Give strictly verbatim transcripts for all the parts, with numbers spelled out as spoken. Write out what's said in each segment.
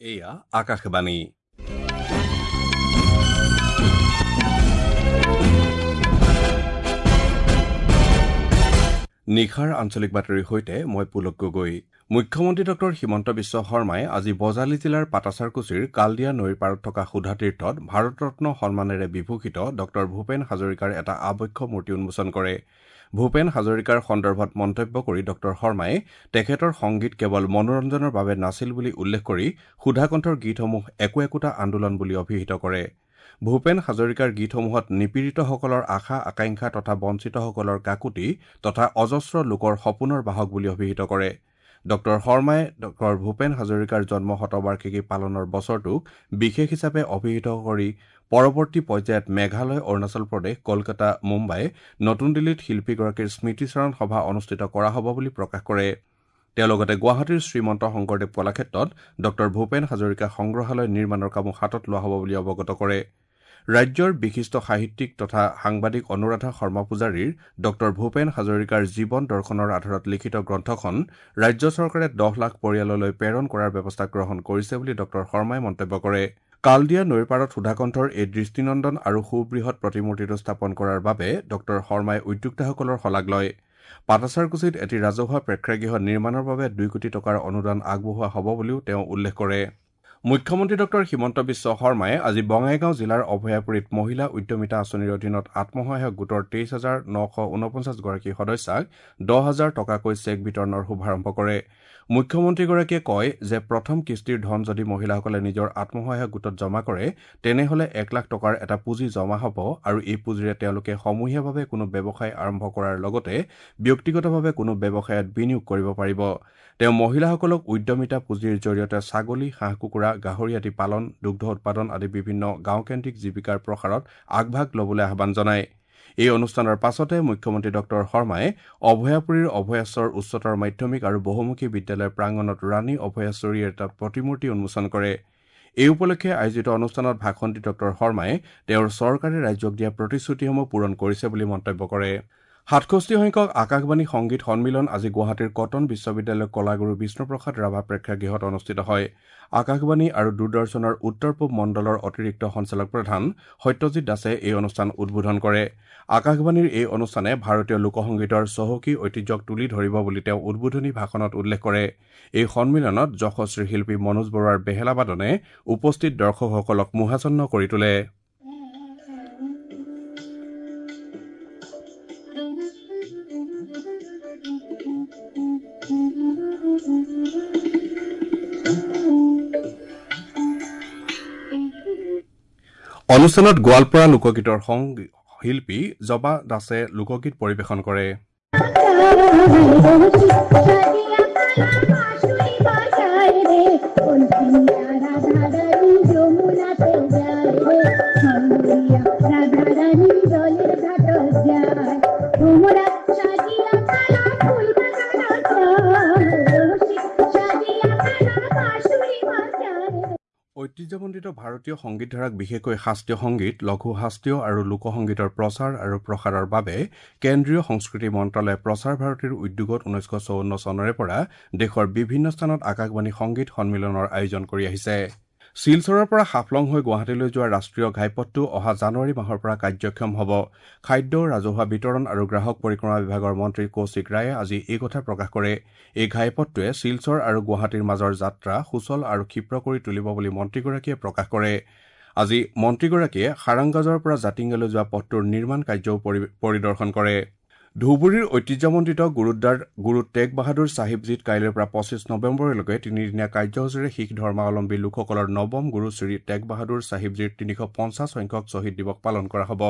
এয়া আকাশবাণী। নিশাৰ আঞ্চলিক বাতৰিৰ সৈতে মই পুলক গগৈ। মুখ্যমন্ত্ৰী ডক্টৰ হিমন্ত বিশ্ব শৰ্মাই আজি বজালী জিলাৰ পাটাছাৰকুছিৰ কালদিয়া নৈৰ পাৰত থকা সুধাতীৰ্থত ভাৰতৰত্ন সন্মানেৰে বিভূষিত ডক্টৰ ভূপেন হাজৰিকাৰ এটা আবক্ষ মূৰ্তি উন্মোচন কৰে। ভূপেন হাজৰিকাৰ সন্দৰ্ভত মন্তব্য কৰি ডক্টৰ শৰ্মাই তেখেতৰ সংগীত কেৱল মনোৰঞ্জনৰ বাবে নাছিল বুলি উল্লেখ কৰি সুধাকণ্ঠৰ গীতসমূহ একো একোটা আন্দোলন বুলি অভিহিত কৰে। ভূপেন হাজৰিকাৰ গীতসমূহত নিপীড়িতসকলৰ আশা আকাংক্ষা তথা বঞ্চিতসকলৰ কাকুতি তথা অজস্ৰ লোকৰ সপোনৰ বাহক বুলি অভিহিত কৰে। ডক্টৰ শৰ্মাই ডক্টৰ ভূপেন হাজৰিকাৰ জন্ম শতবাৰ্ষিকী পালনৰ বছৰটোক বিশেষ হিচাপে অভিহিত কৰি পৰৱৰ্তী পৰ্যায়ত মেঘালয়, অৰুণাচল প্ৰদেশ, কলকাতা, মুম্বাই, নতুন দিল্লীত শিল্পীগৰাকীৰ স্মৃতিচাৰণ সভা অনুষ্ঠিত কৰা হ'ব বুলি প্ৰকাশ কৰে। তেওঁ লগতে গুৱাহাটীৰ শ্ৰীমন্ত শংকৰদেৱ কলাক্ষেত্ৰত ডক্টৰ ভূপেন হাজৰিকা সংগ্ৰহালয় নিৰ্মাণৰ কামো হাতত লোৱা হ'ব বুলি অৱগত কৰে। ৰাজ্যৰ বিশিষ্ট সাহিত্যিক তথা সাংবাদিক অনুৰাধা শৰ্মা পূজাৰীৰ ডক্টৰ ভূপেন হাজৰিকাৰ জীৱন দৰ্শনৰ আধাৰত লিখিত গ্ৰন্থখন ৰাজ্য চৰকাৰে দহ লাখ পৰিয়াললৈ প্ৰেৰণ কৰাৰ ব্যৱস্থা গ্ৰহণ কৰিছে বুলি ডক্টৰ শৰ্মাই মন্তব্য কৰে। কালদিয়া নৈৰ পাৰত সুধাকণ্ঠৰ এই দৃষ্টিনন্দন আৰু সুবৃহৎ প্ৰতিমূৰ্তিটো স্থাপন কৰাৰ বাবে ডক্টৰ শৰ্মাই উদ্যোক্তাসকলৰ শলাগ লয়। পাটাছাৰকুছিত এটি ৰাজহুৱা প্ৰেক্ষাগৃহ নিৰ্মাণৰ বাবে দুই কোটি টকাৰ অনুদান আগবঢ়োৱা হ'ব বুলিও তেওঁ উল্লেখ কৰে। মুখ্যমন্ত্ৰী ডক্টৰ হিমন্ত বিশ্ব শৰ্মাই আজি বঙাইগাঁও জিলাৰ অভয়াপুৰীত মহিলা উদ্যমিতা আঁচনিৰ অধীনত আত্মসহায়ক গোটৰ তেইছ হাজাৰ নশ ঊনপঞ্চাছগৰাকী সদস্যাক দহ হাজাৰ টকাকৈ চেক বিতৰণৰ শুভাৰম্ভ কৰে। মুখ্যমন্ত্ৰীগৰাকীয়ে কয় যে প্ৰথম কিস্তিৰ ধন যদি মহিলাসকলে নিজৰ আত্মসহায়ক গোটত জমা কৰে তেনেহ'লে এক লাখ টকাৰ এটা পুঁজি জমা হ'ব আৰু এই পুঁজিৰে তেওঁলোকে সমূহীয়াভাৱে কোনো ব্যৱসায় আৰম্ভ কৰাৰ লগতে ব্যক্তিগতভাৱে কোনো ব্যৱসায়ত বিনিয়োগ কৰিব পাৰিব। তেওঁ মহিলাসকলক উদ্যমিতা পুঁজিৰ জৰিয়তে ছাগলী, হাঁহ কুকুৰা, গাহৰি আদি পালন, দুগ্ধ উৎপাদন আদি বিভিন্ন গাঁওকেন্দ্ৰিক জীৱিকাৰ প্ৰসাৰত আগভাগ ল'বলৈ আহ্বান জনায়। এই অনুষ্ঠানৰ পাছতে মুখ্যমন্ত্ৰী ডক্টৰ শৰ্মাই অভয়াপুৰীৰ অভয়াশ্বৰ উচ্চতৰ মাধ্যমিক আৰু বহুমুখী বিদ্যালয়ৰ প্ৰাংগণত ৰাণী অভয়াশ্বৰীৰ এটা প্ৰতিমূৰ্তি উন্মোচন কৰে। এই উপলক্ষে আয়োজিত অনুষ্ঠানত ভাষণ দি ডক্টৰ শৰ্মাই তেওঁৰ চৰকাৰে ৰাজ্যক দিয়া প্ৰতিশ্ৰুতিসমূহ পূৰণ কৰিছে বুলি মন্তব্য কৰে। সাতষষ্ঠি সংখ্যক আকাশবাণী সংগীত সন্মিলন আজি গুৱাহাটীৰ কটন বিশ্ববিদ্যালয়ৰ কলাগুৰু বিষ্ণুপ্ৰসাদ ৰাভা প্ৰেক্ষাগৃহত অনুষ্ঠিত হয়। আকাশবাণী আৰু দূৰদৰ্শনৰ উত্তৰ পূব মণ্ডলৰ অতিৰিক্ত সঞ্চালক প্ৰধান সত্যজিৎ দাসে এই অনুষ্ঠান উদ্বোধন কৰে। আকাশবাণীৰ এই অনুষ্ঠানে ভাৰতীয় লোকসংগীতৰ চহকী ঐতিহ্যক তুলি ধৰিব বুলি তেওঁ উদ্বোধনী ভাষণত উল্লেখ কৰে। এই সন্মিলনত যশস্বী শিল্পী মনোজ বৰুৱাৰ বেহেলা বাদনে উপস্থিত দৰ্শকসকলক মোহাচ্ছন্ন কৰি তোলে। অনুষ্ঠানত গোৱালপাৰা লোকগীতৰ শিল্পী জবা দাসে লোকগীত পৰিৱেশন কৰে। ঐতিহ্যমণ্ডিত ভাৰতীয় সংগীতধাৰাক বিশেষকৈ শাস্ত্ৰীয় সংগীত, লঘু শাস্ত্ৰীয় আৰু লোকসংগীতৰ প্ৰচাৰ আৰু প্ৰসাৰৰ বাবে কেন্দ্ৰীয় সংস্কৃতি মন্ত্ৰালয়ে প্ৰসাৰ ভাৰতীৰ উদ্যোগত ঊনৈছশ চৌৱন্ন চনৰে পৰা দেশৰ বিভিন্ন স্থানত আকাশবাণী সংগীত সন্মিলনৰ আয়োজন কৰি আহিছে। শিলচৰৰ পৰা হাফলং হৈ গুৱাহাটীলৈ যোৱা ৰাষ্ট্ৰীয় ঘাইপথটো অহা জানুৱাৰী মাহৰ পৰা কাৰ্যক্ষম হ'ব। খাদ্য, ৰাজহুৱা বিতৰণ আৰু গ্ৰাহক পৰিক্ৰমা বিভাগৰ মন্ত্ৰী কৌশিক ৰায়ে আজি এই কথা প্ৰকাশ কৰে। এই ঘাইপথটোৱে শিলচৰ আৰু গুৱাহাটীৰ মাজৰ যাত্ৰা সুচল আৰু ক্ষীপ্ৰ কৰি তুলিব বুলি মন্ত্ৰীগৰাকীয়ে প্ৰকাশ কৰে। আজি মন্ত্ৰীগৰাকীয়ে সাৰাংগাজৰ পৰা জাতিংগালৈ যোৱা পথটোৰ নিৰ্মাণ কাৰ্যও পৰিদৰ্শন কৰে। ধুবুৰীৰ ঐতিহ্যমণ্ডিত গুৰুদ্বাৰ গুৰু টেগ বাহাদুৰ চাহিবজীত কাইলৈৰ পৰা পঁচিছ নৱেম্বৰলৈকে তিনিদিনীয়া কাৰ্যসূচীৰে শিখ ধৰ্মাৱলম্বী লোকসকলৰ নৱম গুৰু শ্ৰী টেগ বাহাদুৰ চাহিবজীৰ তিনিশ পঞ্চাছ সংখ্যক শ্বহীদ দিৱস পালন কৰা হ'ব।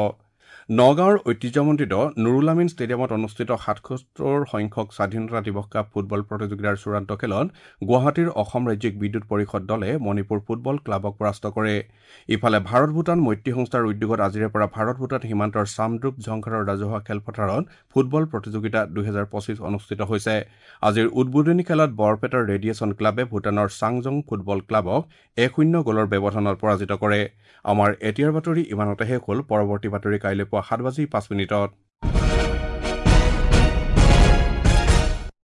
নগাঁৱৰ ঐতিহ্যমণ্ডিত নুৰুল আমিন ষ্টেডিয়ামত অনুষ্ঠিত সাতসত্তৰ সংখ্যক স্বাধীনতা দিৱস কাপ ফুটবল প্ৰতিযোগিতাৰ চূড়ান্ত খেলত গুৱাহাটীৰ অসম ৰাজ্যিক বিদ্যুৎ পৰিষদ দলে মণিপুৰ ফুটবল ক্লাবক পৰাস্ত কৰে। ইফালে ভাৰত ভূটান মৈত্ৰী সংস্থাৰ উদ্যোগত আজিৰে পৰা ভাৰত ভূটান সীমান্তৰ চামদ্ৰুপ ঝংকাৰৰ ৰাজহুৱা খেলপথাৰত ফুটবল প্ৰতিযোগিতা দুহেজাৰ পঁচিছ অনুষ্ঠিত হৈছে। আজিৰ উদ্বোধনী খেলত বৰপেটাৰ ৰেডিয়েশ্যন ক্লাবে ভূটানৰ চাংজং ফুটবল ক্লাবক এক শূন্য গ'লৰ ব্যৱধানত পৰাজিত কৰে। আমাৰ এতিয়াৰ বাতৰি ইমানতে শেষ হ'ল। পৰৱৰ্তী বাতৰি কাইলৈ পুৱা সাত বাজি পাঁচ মিনিটত।